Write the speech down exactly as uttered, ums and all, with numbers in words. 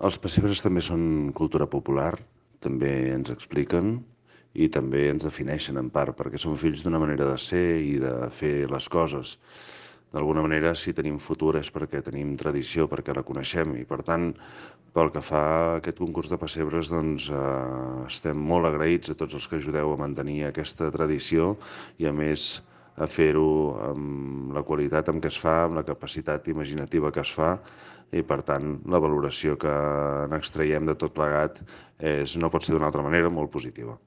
Els pessebres també són cultura popular, també ens expliquen i també ens defineixen en part, perquè són fills d'una manera de ser i de fer les coses. D'alguna manera, si tenim futur és perquè tenim tradició, perquè la coneixem i, per tant, pel que fa a aquest concurs de pessebres, doncs eh, estem molt agraïts a tots els que ajudeu a mantenir aquesta tradició i, a més, a fer-ho amb la qualitat amb què es fa, amb la capacitat imaginativa que es fa i, per tant, la valoració que n'extraiem de tot plegat és, no pot ser d'una altra manera, molt positiva.